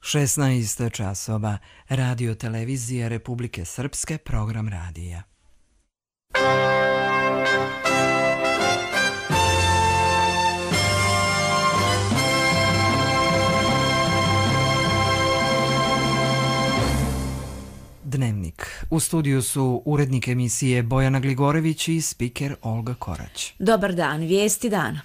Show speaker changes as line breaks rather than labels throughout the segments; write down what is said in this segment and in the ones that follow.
16 časova, Radio televizije Republike Srpske, program radija. Dnevnik. U studiju su urednik emisije Bojana Gligorević i spiker Olga Korać.
Dobar dan, vijesti dana.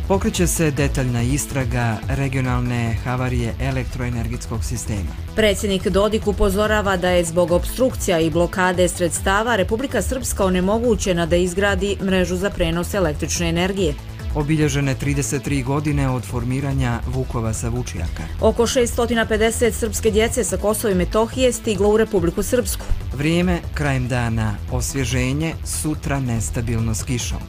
Pokreće se detaljna istraga regionalne havarije elektroenergetskog sistema.
Predsjednik Dodik upozorava da je zbog opstrukcija i blokade sredstava Republika Srpska onemogućena da izgradi mrežu za prenos električne energije.
Obilježene 33 godine od formiranja Vukova sa Vučijaka.
Oko 650 srpske djece sa Kosova i Metohije stiglo u Republiku Srpsku.
Vrijeme krajem dana, osvježenje, sutra nestabilno s kišom.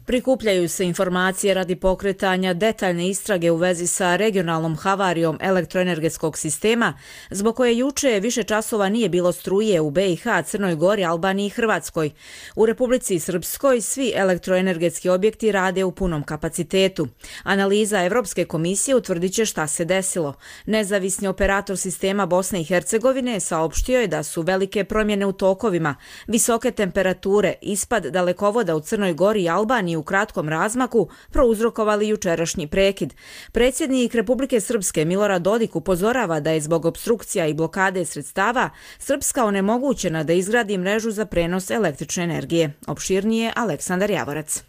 Prikupljaju se informacije radi pokretanja detaljne istrage u vezi sa regionalnom havarijom elektroenergetskog sistema, zbog koje juče više časova nije bilo struje u BiH, Crnoj Gori, Albaniji i Hrvatskoj. U Republici Srpskoj svi elektroenergetski objekti rade u punom kapacitetu. Analiza Evropske komisije utvrdit će šta se desilo. Nezavisni operator sistema Bosne i Hercegovine saopštio je da su velike promjene u tokovima, visoke temperature, ispad dalekovoda u Crnoj Gori i Albaniji u kratkom razmaku prouzrokovali jučerašnji prekid. Predsjednik Republike Srpske Milorad Dodik upozorava da je zbog opstrukcija i blokade sredstava Srpska onemogućena da izgradi mrežu za prenos električne energije. Opširnije Aleksandar Javorac.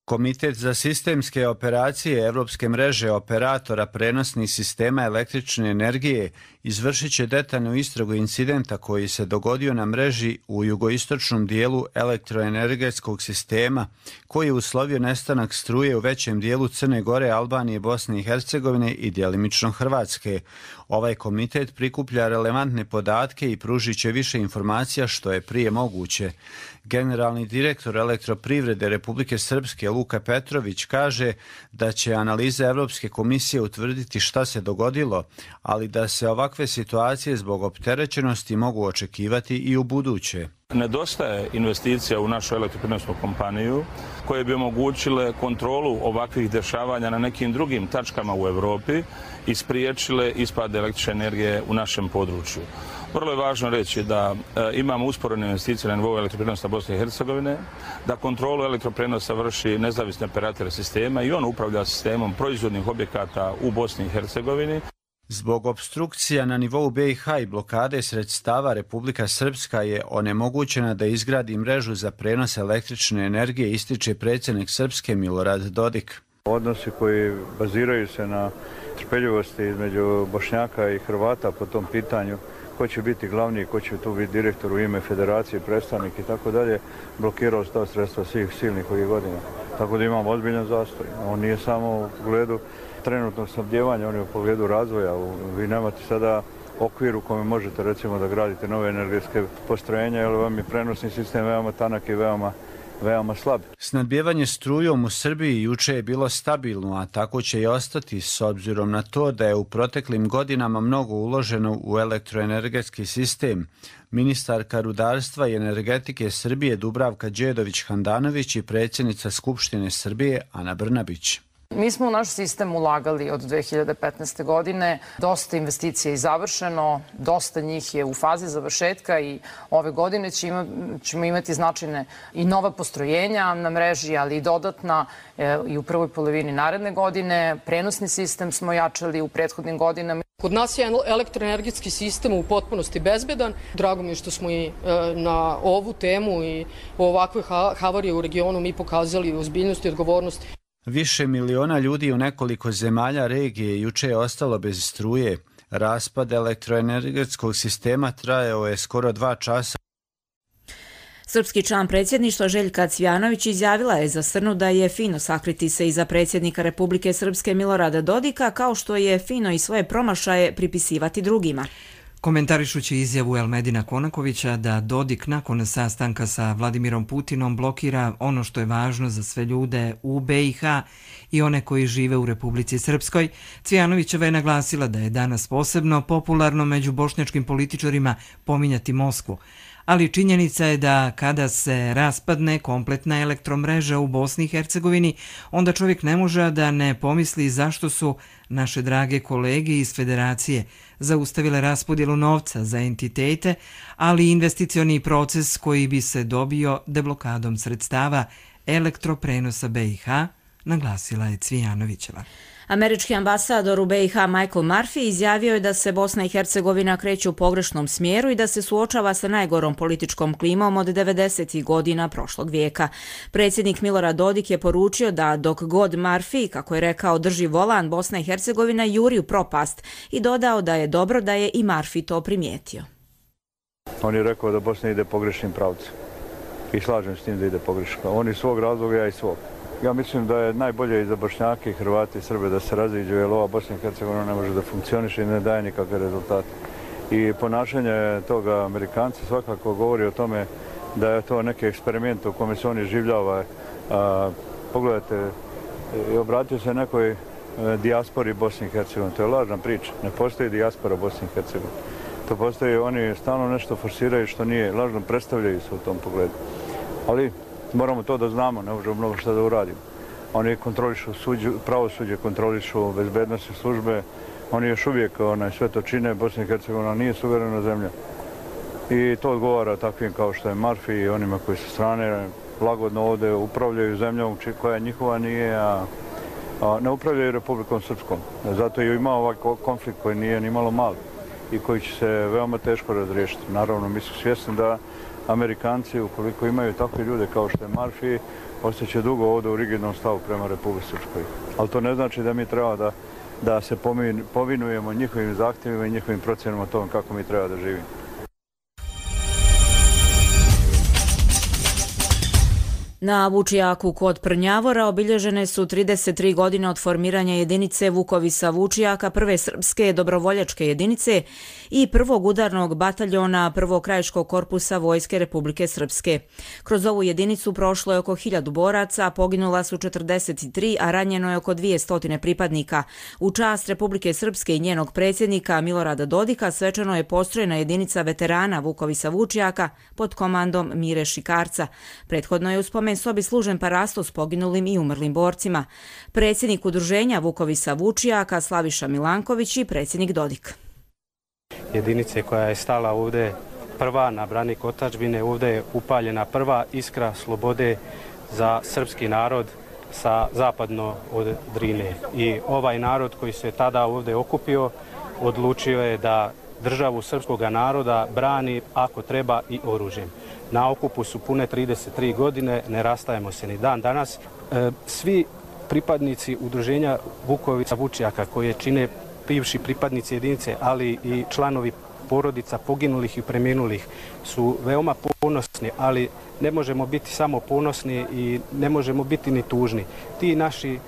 Komitet za sistemske operacije Evropske mreže operatora prenosnih sistema električne energije izvršit će detaljnu istragu incidenta koji se dogodio na mreži u jugoistočnom dijelu elektroenergetskog sistema, koji je uslovio nestanak struje u većem dijelu Crne Gore, Albanije, Bosne i Hercegovine i djelimično Hrvatske. Ovaj komitet prikuplja relevantne podatke i pružit će više informacija što je prije moguće. Generalni direktor Elektroprivrede Republike Srpske Luka Petrović kaže da će analiza Evropske komisije utvrditi šta se dogodilo, ali da se ovakve situacije zbog opterećenosti mogu očekivati i u buduće.
Nedostaje investicija u našu elektroprivrednu kompaniju koje bi omogućile kontrolu ovakvih dešavanja na nekim drugim tačkama u Evropi i spriječile ispad električne energije u našem području. Vrlo je važno reći da imamo usporene investicije na nivou elektroprenosa Bosne i Hercegovine, da kontrolu elektroprenosa vrši nezavisni operator sistema i on upravlja sistemom proizvodnih objekata u Bosni i Hercegovini.
Zbog opstrukcija na nivou BiH i blokade sredstava Republika Srpska je onemogućena da izgradi mrežu za prenos električne energije, ističe predsjednik Srpske Milorad Dodik.
Odnosi koji baziraju se na trpeljivosti između Bošnjaka i Hrvata po tom pitanju, ko će biti glavni, ko će tu biti direktor u ime federacije, predstavnik i tako dalje, blokirao ta sredstva svih silnih ovih godina. Tako da imamo ozbiljan zastoj. On nije samo u pogledu trenutnog snabdjevanja, on je u pogledu razvoja. Vi nemate sada okvir u kome možete recimo da gradite nove energetske postrojenja, jer vam je prenosni sistem veoma tanak i veoma slab.
Snabdjevanje strujom u Srbiji juče je bilo stabilno, a tako će i ostati s obzirom na to da je u proteklim godinama mnogo uloženo u elektroenergetski sistem. Ministarka rudarstva i energetike Srbije Dubravka Đedović-Handanović i predsjednica Skupštine Srbije Ana Brnabić.
Mi smo u naš sistem ulagali od 2015. godine. Dosta investicija je završeno, dosta njih je u fazi završetka i ove godine ćemo imati značajne i nova postrojenja na mreži, ali i dodatna i u prvoj polovini naredne godine. Prenosni sistem smo jačali u prethodnim godinama.
Kod nas je elektroenergetski sistem u potpunosti bezbedan. Drago mi je što smo i na ovu temu i ovakve havarije u regionu mi pokazali ozbiljnost i odgovornost.
Više miliona ljudi u nekoliko zemalja regije juče je ostalo bez struje. Raspad elektroenergetskog sistema trajao je skoro 2 časa.
Srpski član predsjedništva Željka Cvjanović izjavila je za Srnu da je fino sakriti se iza predsjednika Republike Srpske Milorada Dodika, kao što je fino i svoje promašaje pripisivati drugima.
Komentarišući izjavu Elmedina Konakovića da Dodik nakon sastanka sa Vladimirom Putinom blokira ono što je važno za sve ljude u BiH i one koji žive u Republici Srpskoj, Cvjanovićeva je naglasila da je danas posebno popularno među bošnjačkim političarima pominjati Moskvu, ali činjenica je da kada se raspadne kompletna elektromreža u Bosni i Hercegovini, onda čovjek ne može da ne pomisli zašto su naše drage kolege iz Federacije zaustavile raspodjelu novca za entitete, ali i investicioni proces koji bi se dobio deblokadom sredstava elektroprenosa BiH, naglasila je Cvijanovićeva.
Američki ambasador u BiH Michael Murphy izjavio je da se Bosna i Hercegovina kreće u pogrešnom smjeru i da se suočava sa najgorom političkom klimom od 90. godina prošlog vijeka. Predsjednik Milorad Dodik je poručio da dok god Murphy, kako je rekao, drži volan, Bosna i Hercegovina juri u propast i dodao da je dobro da je i Murphy to primijetio.
On je rekao da Bosna ide pogrešnim pravcem i slažem s tim da ide pogrešno. On iz svog razloga, ja iz svog. Ja mislim da je najbolje i za Bošnjake, Hrvati i Srbe da se raziđu, jer ova Bosna i Hercegovina ne može da funkcioniše i ne daje nikakve rezultate. I ponašanje toga Amerikanca svakako govori o tome da je to neki eksperiment u kome se oni življava. Pogledajte, obratio se nekoj dijaspori Bosne i Hercegovine. To je lažna priča. Ne postoji dijaspora Bosne i Hercegovine. To postoji, oni stalno nešto forsiraju što nije, lažno predstavljaju se u tom pogledu. Ali moramo to da znamo, ne možemo mnogo što da uradimo. Oni kontrolišu pravosuđe, kontrolišu bezbednosne službe, oni još uvijek sve to čine, Bosna i Hercegovina nije suverena zemlja. I to odgovara takvim kao što je Murphy i onima koji sa strane lagodno ovdje upravljaju zemljom koja njihova nije, a ne upravljaju Republikom Srpskom. Zato je imao ovaj konflikt koji nije ni malo mali i koji će se veoma teško razriješiti. Naravno, mi smo svjesni da Amerikanci, ukoliko imaju takve ljude kao što je Murphy, ostaće dugo ovdje u rigidnom stavu prema Republici Srpskoj. Ali to ne znači da mi treba da se povinujemo njihovim zahtjevima i njihovim procjenama o tom kako mi treba da živimo.
Na Vučijaku kod Prnjavora obilježene su 33 godine od formiranja jedinice Vukovisa Vučijaka, prve srpske dobrovoljačke jedinice i prvog udarnog bataljona prvog krajiškog korpusa Vojske Republike Srpske. Kroz ovu jedinicu prošlo je oko 1000 boraca, poginula su 43, a ranjeno je oko 200 pripadnika. U čast Republike Srpske i njenog predsjednika Milorada Dodika svečano je postrojena jedinica veterana Vukovisa Vučijaka pod komandom Mire Šikarca. Prethodno je u spomen sobi služen parasto s poginulim i umrlim borcima. Predsjednik udruženja Vukovisa Vučijaka Slaviša Milanković i predsjednik Dodik.
Jedinice koja je stala ovdje prva na branik otadžbine, ovdje je upaljena prva iskra slobode za srpski narod sa zapadno od Drine. I ovaj narod koji se tada ovdje okupio odlučio je da državu srpskog naroda brani ako treba i oružjem. Na okupu su pune 33 godine, ne rastajemo se ni dan danas. Svi pripadnici udruženja Vukovica Vučijaka koje čine bivši pripadnici jedinice, ali i članovi porodica poginulih i preminulih su veoma ponosni, ali ne možemo biti samo ponosni i ne možemo biti ni tužni. Ti naši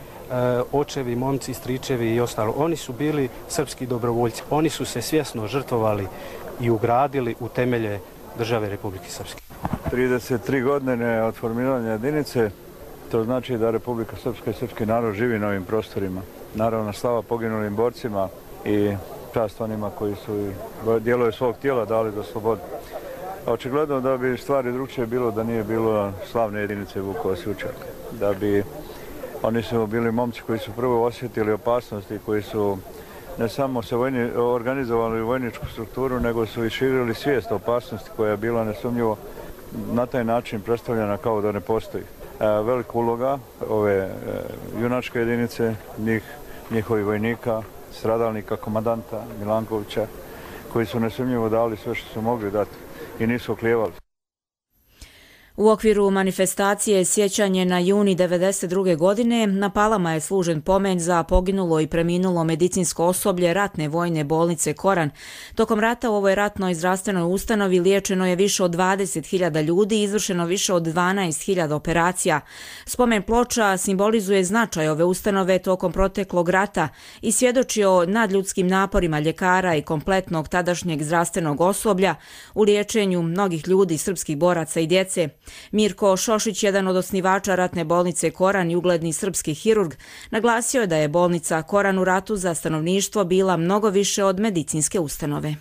očevi, momci, stričevi i ostalo, oni su bili srpski dobrovoljci. Oni su se svjesno žrtvovali i ugradili u temelje države Republike Srpske.
33 godine od formiranja jedinice, to znači da Republika Srpska i srpski narod živi na ovim prostorima. Naravno, slava poginulim borcima i čast onima koji su dijelove svog tijela dali za slobodu. Očigledno da bi stvari drugčije bilo da nije bilo slavne jedinice Vukovac Vučijaka. Da bi oni su bili momci koji su prvo osjetili opasnosti, koji su ne samo se organizovali u vojničku strukturu, nego su i širili svijest o opasnosti koja je bila nesumnjivo na taj način predstavljena kao da ne postoji. Velika uloga ove junačke jedinice, njihovih vojnika, stradalnika, komandanta Milankovića, koji su nesumnjivo dali sve što su mogli dati i nisu oklijevali.
U okviru manifestacije Sjećanje na juni 1992. godine na Palama je služen pomen za poginulo i preminulo medicinsko osoblje ratne vojne bolnice Koran. Tokom rata u ovoj ratnoj zdravstvenoj ustanovi liječeno je više od 20.000 ljudi i izvršeno više od 12.000 operacija. Spomen ploča simbolizuje značaj ove ustanove tokom proteklog rata i svjedoči o nadljudskim naporima ljekara i kompletnog tadašnjeg zdravstvenog osoblja u liječenju mnogih ljudi, srpskih boraca i djece. Mirko Šošić, jedan od osnivača ratne bolnice Koran i ugledni srpski hirurg, naglasio je da je bolnica Koran u ratu za stanovništvo bila mnogo više od medicinske ustanove.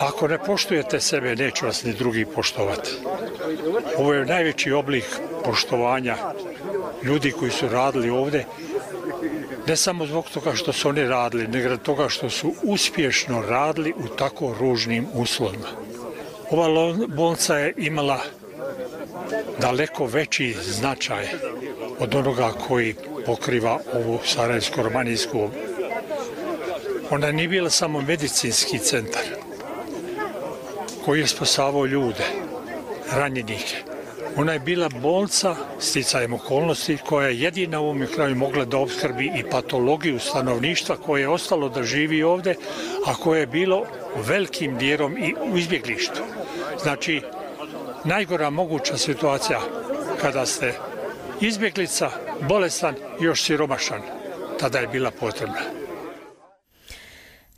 Ako ne poštujete sebe, neće vas ni drugi poštovati. Ovo je najveći oblik poštovanja ljudi koji su radili ovdje, ne samo zbog toga što su oni radili, nego toga što su uspješno radili u tako ružnim uslovima. Ova bolnica je imala daleko veći značaj od onoga koji pokriva ovu sarajevsko-romanijsku. Ona nije bila samo medicinski centar koji je spasavao ljude, ranjenike. Ona je bila bolnica, sticajem okolnosti, koja je jedina u ovom kraju mogla da opskrbi i patologiju stanovništva koje je ostalo da živi ovdje, a koje je bilo velikim dijelom i u izbjeglištu. Znači, najgora moguća situacija kada ste izbjeglica, bolestan i još siromašan, tada je bila potrebna.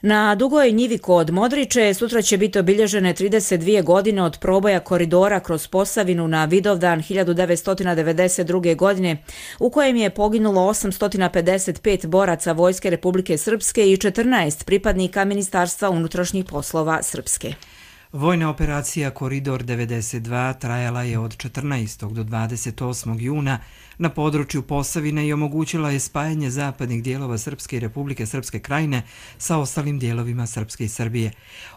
Na Dugoj njivi kod Modriče sutra će biti obilježene 32 godine od proboja koridora kroz Posavinu na Vidovdan 1992. godine, u kojem je poginulo 855 boraca Vojske Republike Srpske i 14 pripadnika Ministarstva unutrašnjih poslova Srpske.
Vojna operacija Koridor 92 trajala je od 14. do 28. juna na području Posavine i omogućila je spajanje zapadnih dijelova Srpske i Republike Srpske Krajine sa ostalim dijelovima Srpske i Srbije.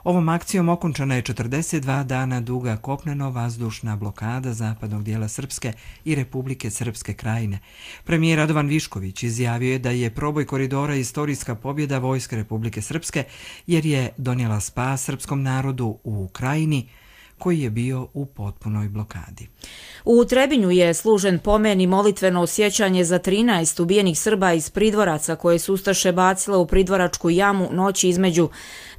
Ovom akcijom okončana je 42 dana duga kopneno-vazdušna blokada zapadnog dijela Srpske i Republike Srpske Krajine. Premijer Radovan Višković izjavio je da je proboj koridora istorijska pobjeda Vojske Republike Srpske jer je donijela spas srpskom narodu u Krajini koji je bio u potpunoj blokadi.
U Trebinju je služen pomen i molitveno sjećanje za 13 ubijenih Srba iz Pridvoraca koje su ustaše bacile u Pridvoračku jamu noći između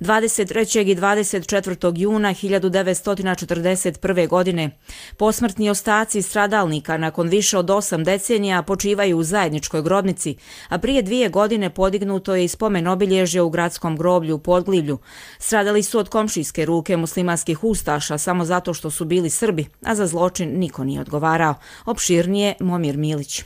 23. i 24. juna 1941. godine. Posmrtni ostaci stradalnika nakon više od 8 decenija počivaju u zajedničkoj grobnici, a prije 2 godine podignuto je i spomen obilježje u gradskom groblju u Podglivlju. Stradali su od komšijske ruke muslimanskih ustaša samo zato što su bili Srbi, a za zločin niko nije odgovarao. Opširnije Momir Milić.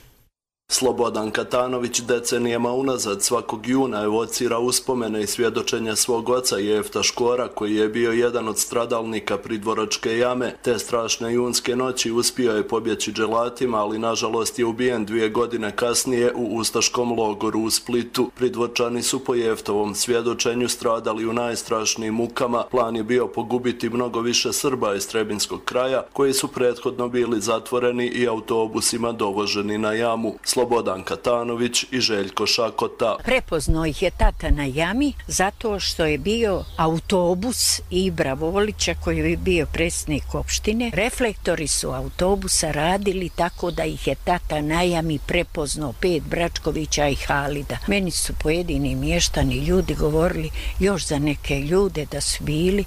Slobodan Katanović decenijama unazad svakog juna evocira uspomene i svjedočenja svog oca Jefta Škora, koji je bio jedan od stradalnika Pridvoračke jame. Te strašne junske noći uspio je pobjeći dželatima, ali nažalost je ubijen 2 godine kasnije u ustaškom logoru u Splitu. Pridvorčani su po Jeftovom svjedočenju stradali u najstrašnijim mukama. Plan je bio pogubiti mnogo više Srba iz Trebinskog kraja, koji su prethodno bili zatvoreni i autobusima dovoženi na jamu. Slobodan Katanović i Željko Šakota.
Prepoznao ih je tata na jami zato što je bio autobus Ibra Volića koji je bio predsjednik opštine. Reflektori su autobusa radili tako da ih je tata na jami prepoznao 5 Bračkovića i Halida. Meni su pojedini mještani ljudi govorili još za neke ljude da su bili.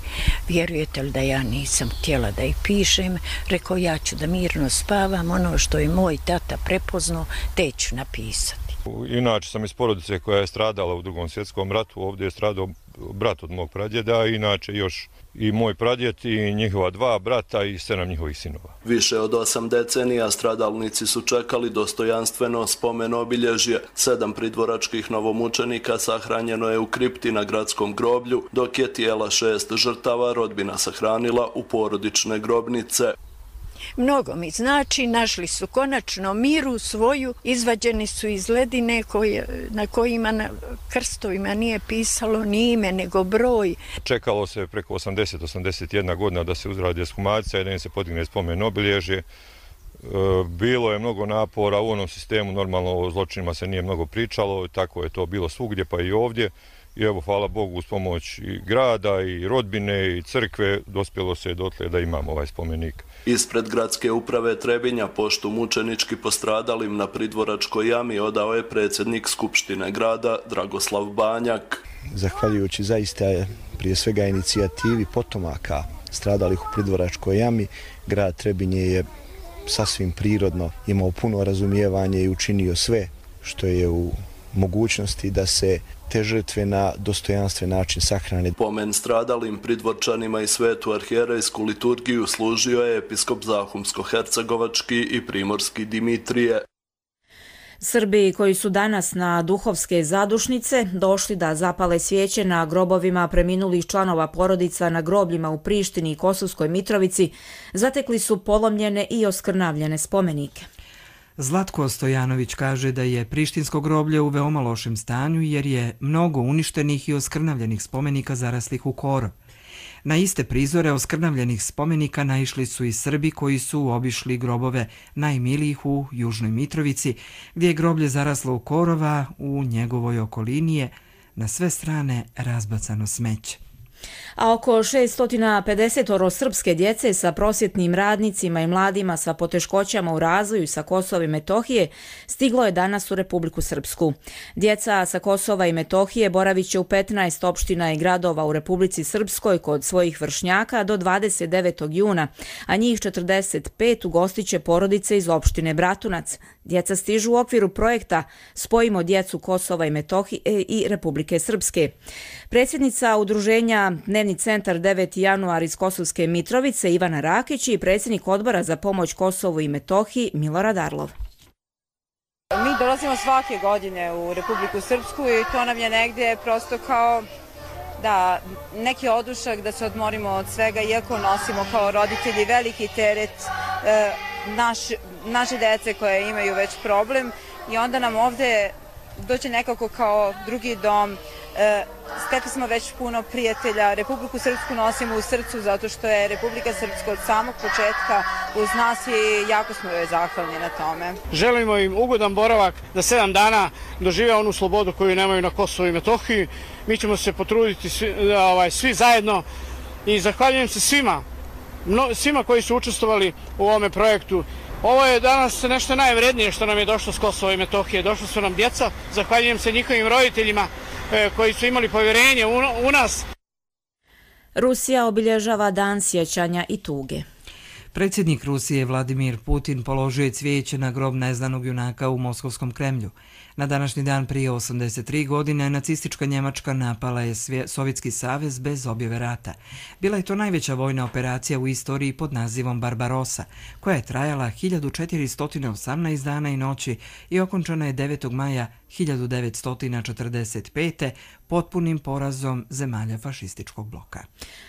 Vjerujete li da ja nisam htjela da ih pišem? Rekao, ja ću da mirno spavam, ono što je moj tata prepoznao te ću napisati.
Inače sam iz porodice koja je stradala u Drugom svjetskom ratu. Ovdje je stradao brat od mog pradjeda, inače još i moj pradjed i njihova 2 brata i 7 njihovih sinova.
Više od 8 decenija stradalnici su čekali dostojanstveno spomen obilježje. 7 pridvoračkih novomučenika sahranjeno je u kripti na gradskom groblju, dok je tijela 6 žrtava rodbina sahranila u porodične grobnice.
Mnogo mi znači, našli su konačno miru svoju, izvađeni su iz ledine na kojima na krstovima nije pisalo ni ime nego broj.
Čekalo se preko 80-81 godina da se uzradi ekshumacija i da im se podigne spomen obilježje. Bilo je mnogo napora u onom sistemu, normalno o zločinima se nije mnogo pričalo, tako je to bilo svugdje pa i ovdje. I evo, hvala Bogu, uz pomoć i grada i rodbine i crkve dospjelo se dotle da imamo ovaj spomenik.
Ispred gradske uprave Trebinja poštu mučenički postradalim na Pridvoračkoj jami odao je predsjednik Skupštine grada Dragoslav Banjak.
Zahvaljujući zaista prije svega inicijativi potomaka stradalih u Pridvoračkoj jami, grad Trebinje je sasvim prirodno imao puno razumijevanje i učinio sve što je u mogućnosti da se te žrtve na dostojanstven način sahrane.
Pomen stradalim Pridvorčanima i svetu arhijerejsku liturgiju služio je episkop Zahumsko-hercegovački i primorski Dimitrije.
Srbi koji su danas na duhovske zadušnice došli da zapale svijeće na grobovima preminulih članova porodica na grobljima u Prištini i Kosovskoj Mitrovici zatekli su polomljene i oskrnavljene spomenike.
Zlatko Stojanović kaže da je prištinsko groblje u veoma lošem stanju jer je mnogo uništenih i oskrnavljenih spomenika zaraslih u korov. Na iste prizore oskrnavljenih spomenika naišli su i Srbi koji su obišli grobove najmilijih u Južnoj Mitrovici, gdje je groblje zaraslo u korova, u njegovoj okolini je na sve strane razbacano smeće.
A oko 650 srpske djece sa prosvjetnim radnicima i mladima sa poteškoćama u razvoju sa Kosova i Metohije stiglo je danas u Republiku Srpsku. Djeca sa Kosova i Metohije boravit će u 15 opština i gradova u Republici Srpskoj kod svojih vršnjaka do 29. juna, a njih 45 ugostit će porodice iz opštine Bratunac. Djeca stižu u okviru projekta Spojimo djecu Kosova i Metohije i Republike Srpske. Predsjednica udruženja Dnevni centar 9. januar iz Kosovske Mitrovice Ivana Rakić i predsjednik odbora za pomoć Kosovu i Metohiji Milorad Arlov.
Mi dolazimo svake godine u Republiku Srpsku i to nam je negdje prosto kao da neki odušak da se odmorimo od svega, iako nosimo kao roditelji veliki teret naše dece koje imaju već problem i onda nam ovdje dođe nekako kao drugi dom. Stekli smo već puno prijatelja, Republiku Srpsku nosimo u srcu zato što je Republika Srpska od samog početka uz nas i jako smo joj zahvalni na tome.
Želimo im ugodan boravak da 7 dana dožive onu slobodu koju nemaju na Kosovu i Metohiji. Mi ćemo se potruditi svi zajedno i zahvaljujem se svima koji su učestvovali u ovome projektu. Ovo je danas nešto najvrednije što nam je došlo s Kosova i Metohije. Došlo su nam djeca, zahvaljujem se njihovim roditeljima koji su imali povjerenje u nas.
Rusija obilježava dan sjećanja i tuge.
Predsjednik Rusije Vladimir Putin položio je cvijeće na grob neznanog junaka u Moskovskom Kremlju. Na današnji dan prije 83 godine nacistička Njemačka napala je Sovjetski savez bez objave rata. Bila je to najveća vojna operacija u istoriji pod nazivom Barbarossa, koja je trajala 1418 dana i noći i okončana je 9. maja 1945. potpunim porazom zemalja fašističkog bloka.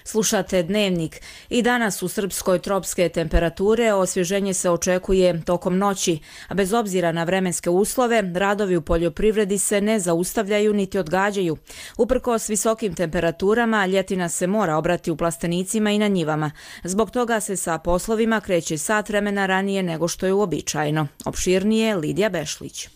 Slušate Dnevnik. I danas u Srpskoj tropske temperature osvježenje se očekuje tokom noći, a bez obzira na vremenske uslove, radovi u poljoprivredi se ne zaustavljaju niti odgađaju. Uprkos visokim temperaturama, ljetina se mora obrati u plastenicima i na njivama. Zbog toga se sa poslovima kreće sat vremena ranije nego što je uobičajeno. Opširnije Lidija Bešlić.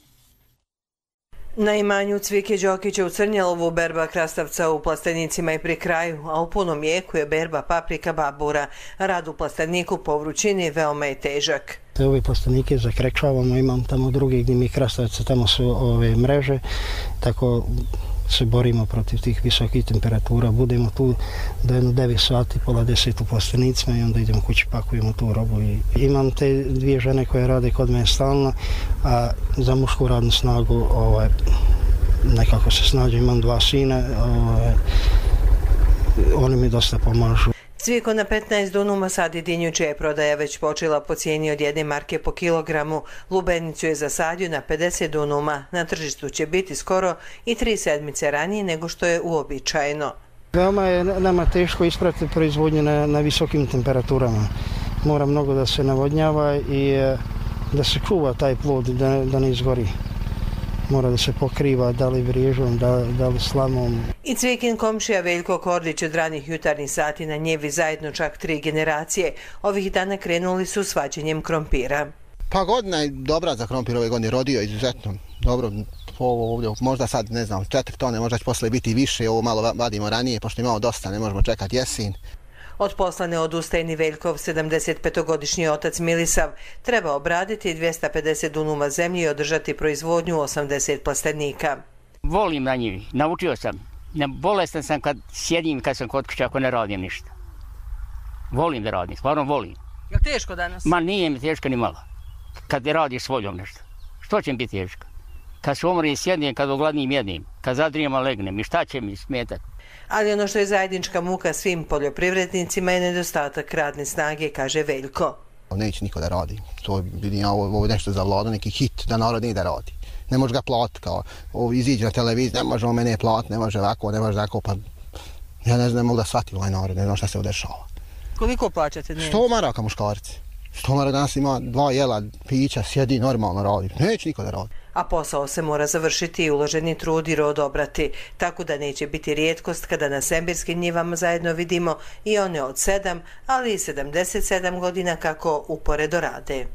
Na imanju Cvike Đokića u Crnjelovu berba krastavca u plastenicima je pri kraju, a u punom jeku je berba paprika babura. Rad u plasteniku po vrućini veoma je težak.
Ove plastenike zakrečavamo, imam tamo drugi gdje mi krastavca, tamo su ove mreže, tako se borimo protiv tih visokih temperatura. Budemo tu do 9 sati, pola 10 u plastenicima i onda idemo kući, pakujemo tu robu. Imam te dvije žene koje rade kod mene stalno, a za mušku radnu snagu nekako se snađu. Imam 2 sina, oni mi dosta pomažu.
Cviko na 15 dunuma sadi dinju, čija je prodaja već počela po cijeni od 1 marke po kilogramu. Lubenicu je zasadio na 50 dunuma. Na tržištu će biti skoro i 3 sedmice ranije nego što je uobičajeno.
Veoma je nama teško ispratiti proizvodnju na visokim temperaturama. Mora mnogo da se navodnjava i da se čuva taj plod, da ne izgori. Mora da se pokriva, da li vriježom, da li slamom.
I Cvikin komšija Veljko Kordić od ranih jutarnjih sati na njevi zajedno čak 3 generacije. Ovih dana krenuli su s vađenjem krompira.
Pa godina je dobra za krompir, ove godine rodio izuzetno dobro. Ovo ovdje, možda sad, ne znam, 4 tone, možda će posle biti više, ovo malo vadimo ranije, pošto imamo dosta, ne možemo čekati jesen.
Od posla ne odustaje ni Veljkov 75-godišnji otac Milisav. Treba obraditi 250 dunuma zemlje i održati proizvodnju 80 plastenika.
Volim na njivi, naučio sam. Bolestan sam kad sjedim, kad sam kod kuće, ako ne radim ništa. Volim da radim, stvarno volim.
Je li teško danas?
Ma nije mi teško ni malo. Kad ne radiš s voljom nešto. Što će mi biti teško? Kad se umrim sjednem, kad ogladnim jednim, kad zadrijema legnem i šta će mi smetati?
Ali ono što je zajednička muka svim poljoprivrednicima je nedostatak radne snage, kaže Veljko.
Neće niko da radi. To vidim, ovo je nešto za vladu, neki hit da narod ne da radi. Ne može ga platiti, kao iziđe na televiziju, ne može on mene platiti, ne može ovako, ne može tako, pa ja ne znam, ne mogu da shvatim ovaj narod, ne znam šta se udešava.
Koliko plaćate dnevnicu?
100 maraka muškarci. 100 maraka danas ima 2 jela, pića, sjedi, normalno radi. Neće niko da radi.
A posao se mora završiti i uloženi trud i rod obrati, tako da neće biti rijetkost kada na sembirskim njivama zajedno vidimo i one od 7, ali i 77 godina kako uporedo rade.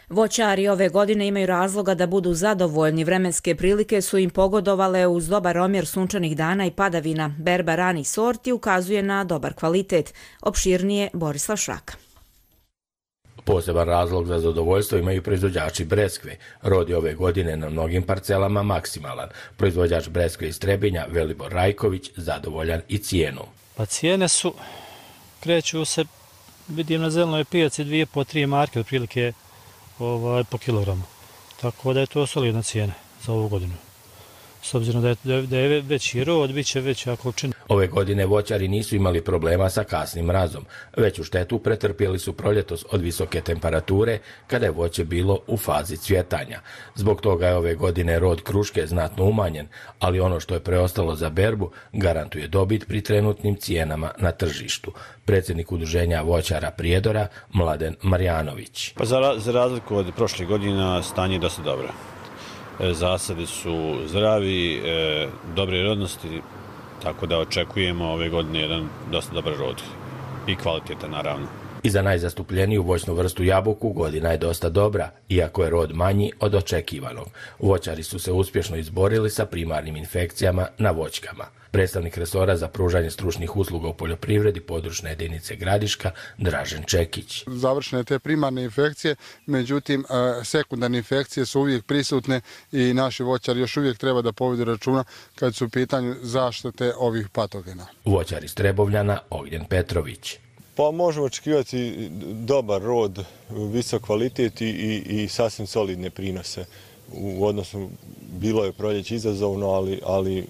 Voćari ove godine imaju razloga da budu zadovoljni. Vremenske prilike su im pogodovale uz dobar omjer sunčanih dana i padavina. Berba ranih sorti ukazuje na dobar kvalitet. Opširnije Borislav Šraka.
Poseban razlog za zadovoljstvo imaju proizvođači breskve. Rod je ove godine na mnogim parcelama maksimalan. Proizvođač breskve iz Trebinja, Velibor Rajković, zadovoljan i cijenom.
Pa cijene su, kreću se, vidim na zelenoj pijaci 2,5-3 marke otprilike po kilogramu. Tako da je to solidna cijena za ovu godinu. S obzirom da je veći rod, bit će veća količina.
Ove godine voćari nisu imali problema sa kasnim mrazom. Veću štetu pretrpjeli su proljetos od visoke temperature kada je voće bilo u fazi cvjetanja. Zbog toga je ove godine rod kruške znatno umanjen, ali ono što je preostalo za berbu garantuje dobit pri trenutnim cijenama na tržištu. Predsjednik udruženja voćara Prijedora Mladen Marjanović.
Pa za razliku od prošlih godina stanje je dosta dobro. Zasadi su zdravi, dobre rodnosti, tako da očekujemo ove godine jedan dosta dobar rod i kvalitetan naravno.
I za najzastupljeniju voćnu vrstu jabuku godina je dosta dobra, iako je rod manji od očekivanog. Voćari su se uspješno izborili sa primarnim infekcijama na voćkama. Predstavnik resora za pružanje stručnih usluga u poljoprivredi područne jedinice Gradiška Dražen Čekić.
Završene te primarne infekcije, međutim sekundarne infekcije su uvijek prisutne i naši voćari još uvijek treba da povedu računa kad su u pitanju zaštite ovih patogena.
Voćar iz Trebovljana Ognjen Petrović.
Pa možemo očekivati dobar rod, visok kvalitet i sasvim solidne prinose. U odnosu, bilo je proljeće izazovno, ali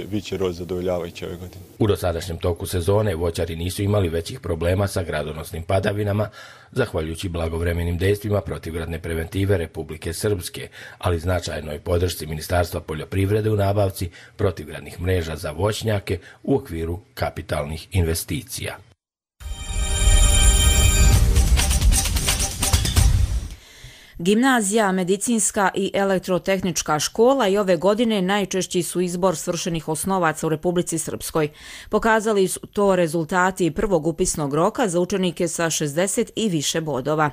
bit će rod zadovoljavajući ove godine.
U dosadašnjem toku sezone voćari nisu imali većih problema sa gradonosnim padavinama, zahvaljujući blagovremenim dejstvima protivgradne preventive Republike Srpske, ali značajnoj podršci Ministarstva poljoprivrede u nabavci protivgradnih mreža za voćnjake u okviru kapitalnih investicija.
Gimnazija, medicinska i elektrotehnička škola i ove godine najčešći su izbor svršenih osnovaca u Republici Srpskoj. Pokazali su to rezultati prvog upisnog roka za učenike sa 60 i više bodova.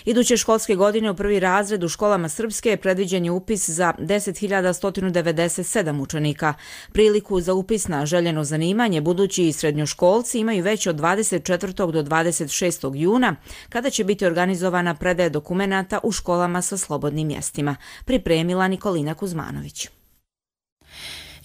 Iduće školske godine u prvi razred u školama Srpske predviđen je upis za 10.197 učenika. Priliku za upis na željeno zanimanje budući i srednjoškolci imaju već od 24. do 26. juna, kada će biti organizovana predaja dokumenata u školama sa slobodnim mjestima, pripremila Nikolina Kuzmanović.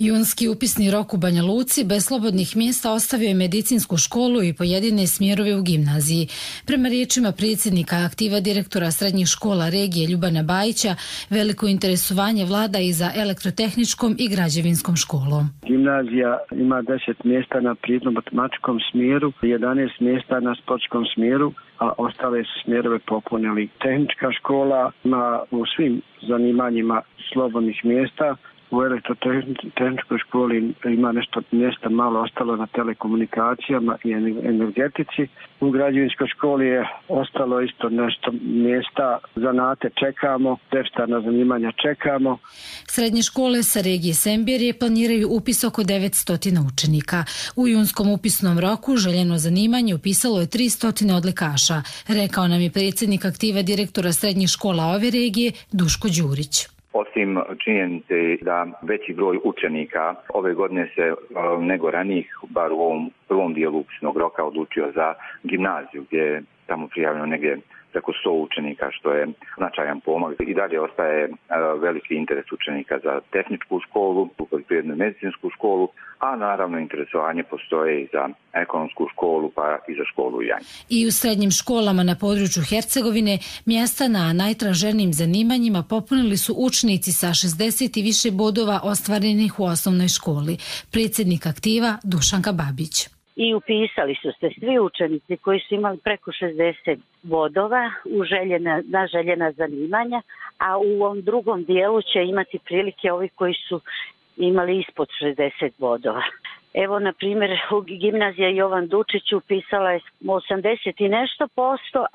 Junski upisni rok u Banja Luci bez slobodnih mjesta ostavio je medicinsku školu i pojedine smjerove u gimnaziji. Prema riječima predsjednika aktiva direktora srednjih škola regije Ljubana Bajića, veliko interesovanje vlada i za elektrotehničkom i građevinskom školom.
Gimnazija ima 10 mjesta na prirodno-matematičkom smjeru, 11 mjesta na sportskom smjeru, a ostale su smjerove popunili. Tehnička škola ima u svim zanimanjima slobodnih mjesta. U elektrotehničkoj školi ima nešto mjesta malo ostalo na telekomunikacijama i energetici. U građevinskoj školi je ostalo isto nešto mjesta. Zanate čekamo, deficitarna zanimanja čekamo.
Srednje škole sa regije Sembirje planiraju upis oko 900 učenika. U junskom upisnom roku željeno zanimanje upisalo je 300 odlikaša, rekao nam je predsjednik aktiva direktora srednjih škola ove regije Duško Đurić.
Osim činjenice da veći broj učenika ove godine se nego ranijih, bar u ovom prvom dijelu upisnog roka, odlučio za gimnaziju gdje je tamo prijavljeno negdje preko 100 učenika, što je značajan pomak. I dalje ostaje veliki interes učenika za tehničku školu, poljoprivrednu i medicinsku školu, a naravno interesovanje postoje i za ekonomsku školu pa i za školu u Janji.
I u srednjim školama na području Hercegovine mjesta na najtraženijim zanimanjima popunili su učenici sa 60 i više bodova ostvarenih u osnovnoj školi. Predsjednik aktiva Dušanka Babić.
i upisali su se svi učenici koji su imali preko 60 bodova na željena zanimanja, a u ovom drugom dijelu će imati prilike ovi koji su imali ispod 60 bodova. Evo, na primjer, gimnazija Jovan Dučić upisala je 80 i nešto posto,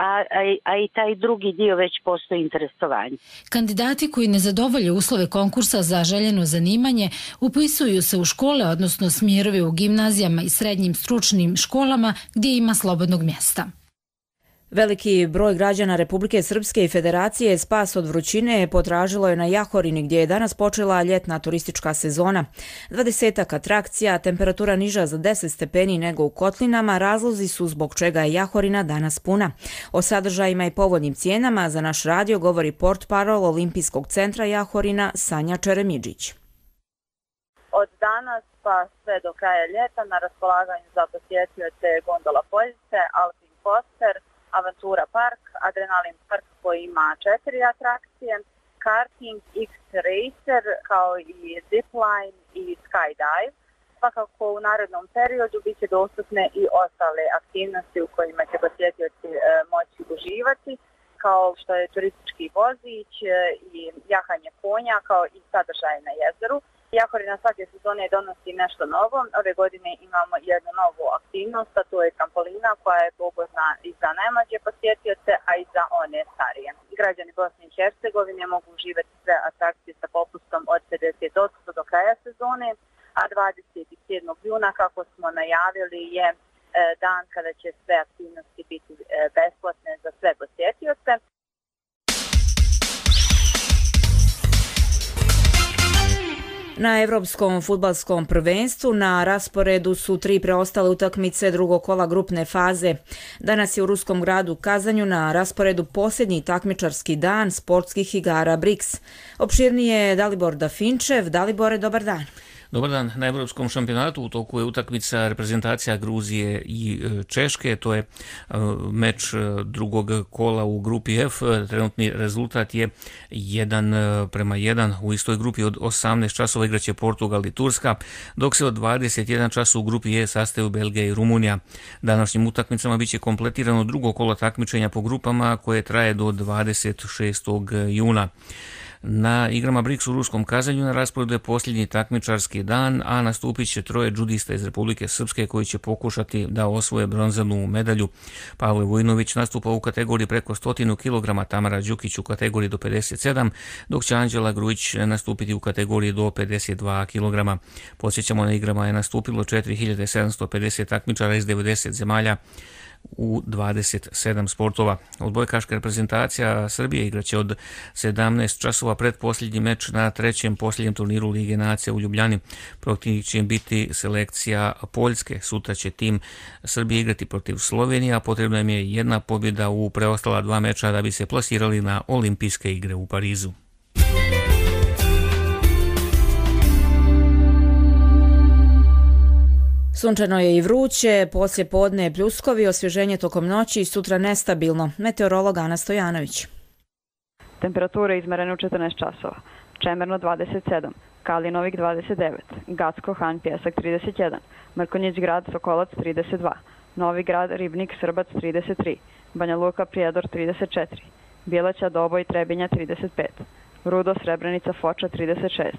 a i taj drugi dio već postoji interesovanje.
Kandidati koji ne zadovolje uslove konkursa za željeno zanimanje upisuju se u škole, odnosno smjerove u gimnazijama i srednjim stručnim školama gdje ima slobodnog mjesta.
Veliki broj građana Republike Srpske i Federacije spas od vrućine potražilo je na Jahorini gdje je danas počela ljetna turistička sezona. 20-ak atrakcija, temperatura niža za 10 stepeni nego u Kotlinama, razlozi su zbog čega je Jahorina danas puna. O sadržajima i povoljnim cijenama za naš radio govori portparol Olimpijskog centra Jahorina Sanja Čeremidžić.
Od danas pa sve do kraja ljeta na raspolaganju za posjetioce gondola Poljice, Alpin Coaster, Aventura Park, Adrenalin Park koji ima 4 atrakcije, karting, X-Racer kao i Zipline i Skydive. Svakako u narednom periodu bit će dostupne i ostale aktivnosti u kojima će posjetioci moći uživati, kao što je turistički vozić i jahanje konja, kao i sadržaje na jezeru. Jahorina svake sezone donosi nešto novo. Ove godine imamo jednu novu aktivnost, a to je trampolina koja je pogodna i za najmlađe posjetioce, a i za one starije. Građani Bosne i Hercegovine mogu uživati sve atrakcije sa popustom od 50% do kraja sezone, a 27. juna, kako smo najavili, je dan kada će sve aktivnosti biti besplatne za sve posjetioce.
Na Evropskom fudbalskom prvenstvu na rasporedu su 3 preostale utakmice drugog kola grupne faze. Danas je u ruskom gradu Kazanju na rasporedu posljednji takmičarski dan sportskih igara BRICS. Opširnije je Dalibor Dafinčev. Dalibore, dobar dan.
Dobar dan. Na Evropskom šampionatu u toku je utakmica reprezentacija Gruzije i Češke. To je meč drugog kola u grupi F. Trenutni rezultat je 1:1. U istoj grupi od 18 časova igraće Portugal i Turska, dok se od 21 časa u grupi E sastaju Belgija i Rumunija. Današnjim utakmicama biće kompletirano drugo kolo takmičenja po grupama koje traje do 26. juna. Na igrama BRICS u ruskom Kazanju na rasporedu je posljednji takmičarski dan, a nastupit će 3 džudista iz Republike Srpske koji će pokušati da osvoje bronzanu medalju. Pavle Vujnović nastupa u kategoriji preko 100 kg, Tamara Đukić u kategoriji do 57, dok će Anđela Grujić nastupiti u kategoriji do 52 kg. Podsjećamo, na igrama je nastupilo 4750 takmičara iz 90 zemalja u 27 sportova. Odbojkaška reprezentacija Srbije igraće od 17 časova pred posljednji meč na trećem posljednjem turniru Lige nacija u Ljubljani. Protiv će biti selekcija Poljske. Sutra će tim Srbije igrati protiv Slovenije, a potrebna im je jedna pobjeda u preostala 2 meča da bi se plasirali na Olimpijske igre u Parizu.
Sunčano je i vruće, poslije podne pljuskovi, osvježenje tokom noći i sutra nestabilno. Meteorolog Ana Stojanović.
Temperature izmerene u 14 časova. Čemerno 27, Kalinovik 29, Gacko, Han, Pjesak 31, Mrkonjić grad, Sokolac 32, Novi grad, Ribnik, Srbac 33, Banja Luka, Prijedor 34, Bjelaća, Doboj, Trebinja 35, Rudo, Srebrenica, Foča 36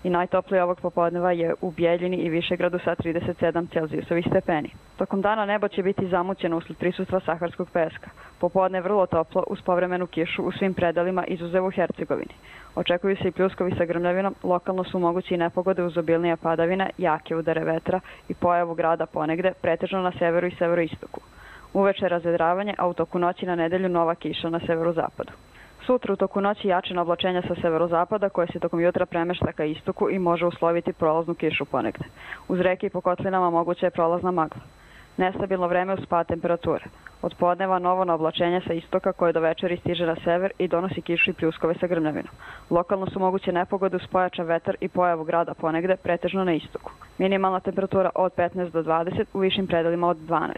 i najtoplije ovog popodneva je u Bijeljini i Višegradu sa 37 Celzijusovih stepeni. Tokom dana nebo će biti zamućeno usled prisustva saharskog peska. Popodne vrlo toplo uz povremenu kišu u svim predelima izuzev u Hercegovini. Očekuju se i pljuskovi sa grmljavinom, lokalno su mogući i nepogode uz obilnije padavine, jake udare vetra i pojavu grada ponegde, pretežno na severu i severoistoku. Uveče razvedravanje, a u toku noći na nedelju nova kiša na severozapadu. Sutra u toku noći jačina oblačenja sa severozapada koje se tokom jutra premešta ka istoku i može usloviti prolaznu kišu ponegde. Uz reke i po kotlinama moguća je prolazna magla. Nestabilno vreme uz pad temperature. Od podneva novo na oblačenje sa istoka koje do večeri stiže na sever i donosi kišu i pljuskove sa grmljavinom. Lokalno su moguće nepogode uz pojačan vetar i pojavu grada ponegde, pretežno na istoku. Minimalna temperatura od 15 do 20, u višim predelima od 12.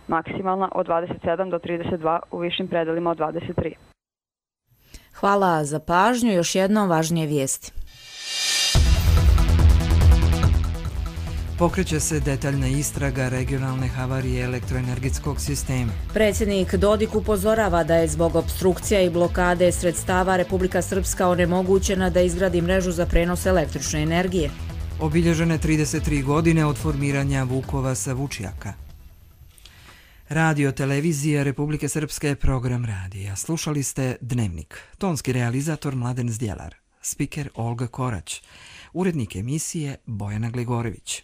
Maksimalna od 27 do 32, u višim predelima od 23.
Hvala za pažnju. Još jednom važnije vijesti.
Pokreće se detaljna istraga regionalne havarije elektroenergetskog sistema.
Predsjednik Dodik upozorava da je zbog opstrukcija i blokade sredstava Republika Srpska onemogućena da izgradi mrežu za prenos električne energije.
Obilježene 33 godine od formiranja Vukova sa Vučjaka. Radio televizija Republike Srpske, program radija. Slušali ste Dnevnik. Tonski realizator Mladen Zdjelar. Spiker Olga Korać. Urednik emisije Bojana Gligorović.